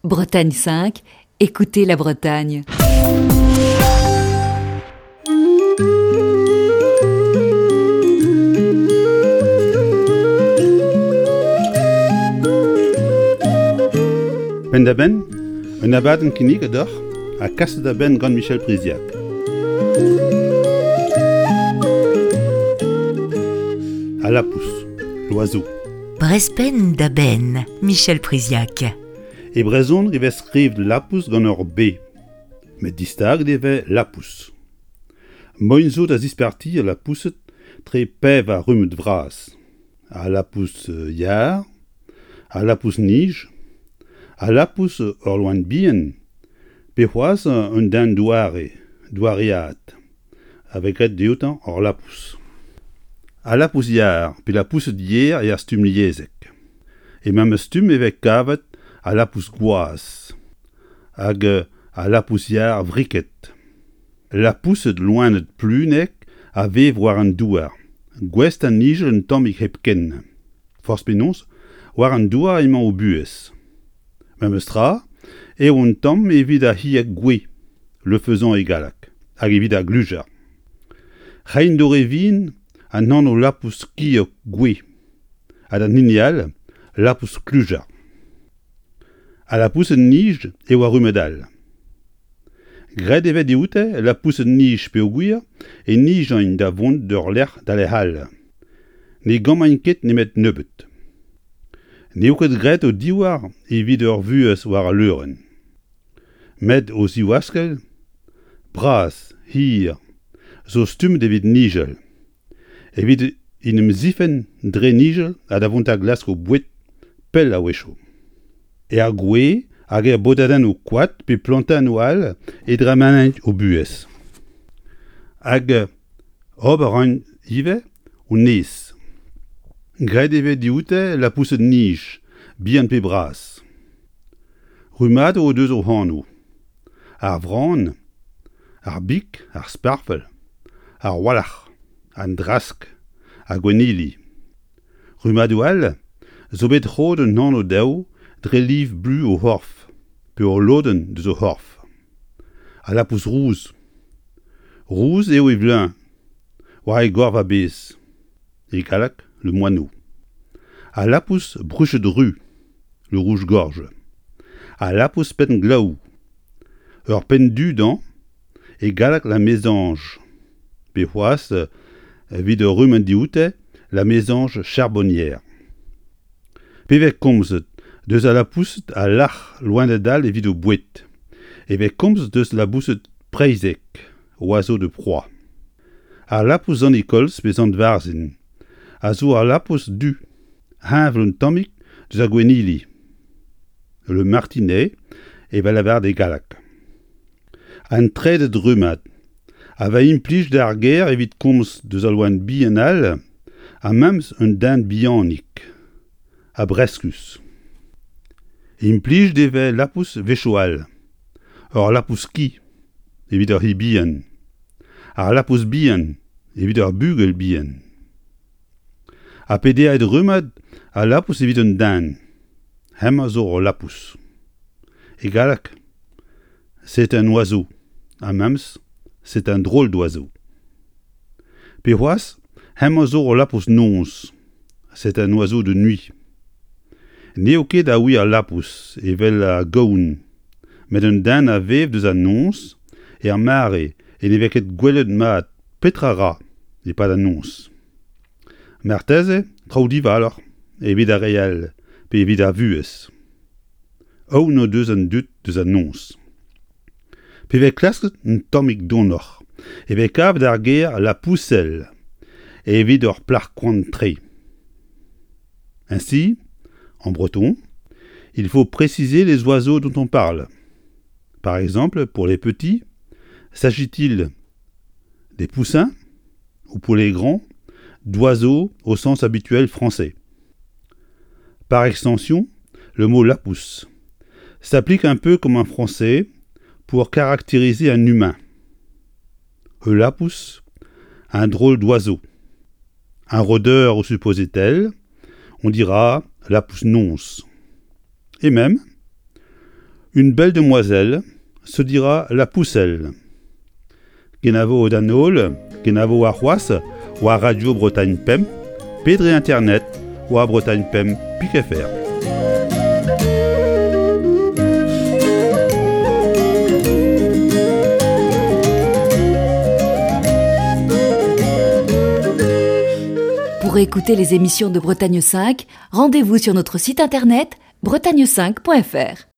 Bretagne 5, écoutez la Bretagne. Penn-da-benn, un abadenn kinniget deoc'h ha kaset da benn gant Michel Priziac. Al lapous, l'oiseau. Brezpenn da benn, Michel Priziac. E brezhoneg e vez skrivet lapous gant ur B, met distaget e vez lapous. Moien zo da zispartiañ lapoused tre pevar rummad vras. Al lapous yar, al lapous-nij, al lapous ur loen bihan, pe c'hoazh un den doare, doaread, a vez graet dioutañ ur lapous. Al lapous-yar pe lapoused yer er stumm liesek. E memes stumm e vez kavet al lapous gwaz hag al lapous-yar vriket. Lapoused loened plunek a vev war an douar, gouest da nijal un tammig hepken. Forzh penaos, war an douar emañ o buhez. Memes tra eo un tamm evit ar c'hieg gouez, le faisan e galleg, hag evit ar glujar. Reiñ d'o re vihan an anv lapous kiog gouez ha d'an hini all lapous klujar. Al lapoused-nij eo ar rummad all. Graet e vez dioute lapoused-nij peogwir e nijont da vont d'ur lec'h da lec'h all. Ne gammaint ket nemet nebeut. N'eo ket graet o divhar evit ur vuhez war al leurenn. Met o zivaskell, bras, hir, zo stummet evit nijal. Evit en em zifenn dre nijal ha da vont da glask o boued pell a-wechoù. Er gwez hag er bodadennoù koad pe plantennoù all e dremenint o buhez. Hag ober a raint ivez o neizh. Graet e vez dioute lapoused-nij, bihan pe bras. Rummadoù o deus o anv. Ar vran, ar big, ar sparfell, ar walc'h, an drask, ar gwennili. Rummadoù all zo bet roet un anv dezho dre liv blu o c'horf pe ul lodenn deus o c'horf. Al lapous rous. Rous eo e vleuñv, war e gorf a-bezh. E galleg, le moineau. Al lapous bruched ru, le rouge-gorge. Al lapous penn-glaou. Ur penn du dezhañ, e galleg la mésange. Pe c'hoazh, evit ur rummad dioute, la mésange charbonnière. Pe vez komzet deus al lapoused a lâr loened all evit o boued, e vez komzet deus laboused preizhek, oiseaux de proie. Al lapous Sant-Nikolz pe Sant-Varzhin a zo al lapous du, heñvel un tammig deus ar gwennili. Le martinet evel lavaret e galleg. An trede rummad a vez implijet ar ger evit komz deus al loen bihan all ha memes un den bihanik ha breskus. Implijet e vez lapous wechoù all, ur lapous-ki evit ur c'hi bihan, ar lapous bihan evit ur bugel bihan. Ha pederet rummad a lapous evit un den, hemañ zo ul lapous. E galleg, c'est un oiseau, ha memes c'est un drôle d'oiseau. Pe c'hoazh, hemañ zo ul lapous-noz, c'est un oiseau de nuit. N'eo ket a wir lapous evel ar gaoun, met un den a vev deus an noz er mare e ne vez ket gwelet mat petra 'ra e-pad an noz. Marteze traoù divaloc'h evit ar re all pe evit ar vuhez. Aon o deus an dud deus an noz. Pe vez klasket un tammig donoc'h e vez kavet ar ger lapousel evit ur plac'h koant-tre. Ainsi, en breton, il faut préciser les oiseaux dont on parle. Par exemple, pour les petits, s'agit-il des poussins ou pour les grands, d'oiseaux au sens habituel français. Par extension, le mot lapousse s'applique un peu comme en français pour caractériser un humain. Ul lapous, un drôle d'oiseau. Un rôdeur ou supposé tel, on dira lapous nonce. Et même, Une belle demoiselle se dira la pousselle. Kenavo d'an holl, kenavo warc'hoazh war Radio Bretagne Pemp pe dre internet war Bretagne Pemp pik FR. Pour écouter les émissions de Bretagne 5, rendez-vous sur notre site internet bretagne5.fr.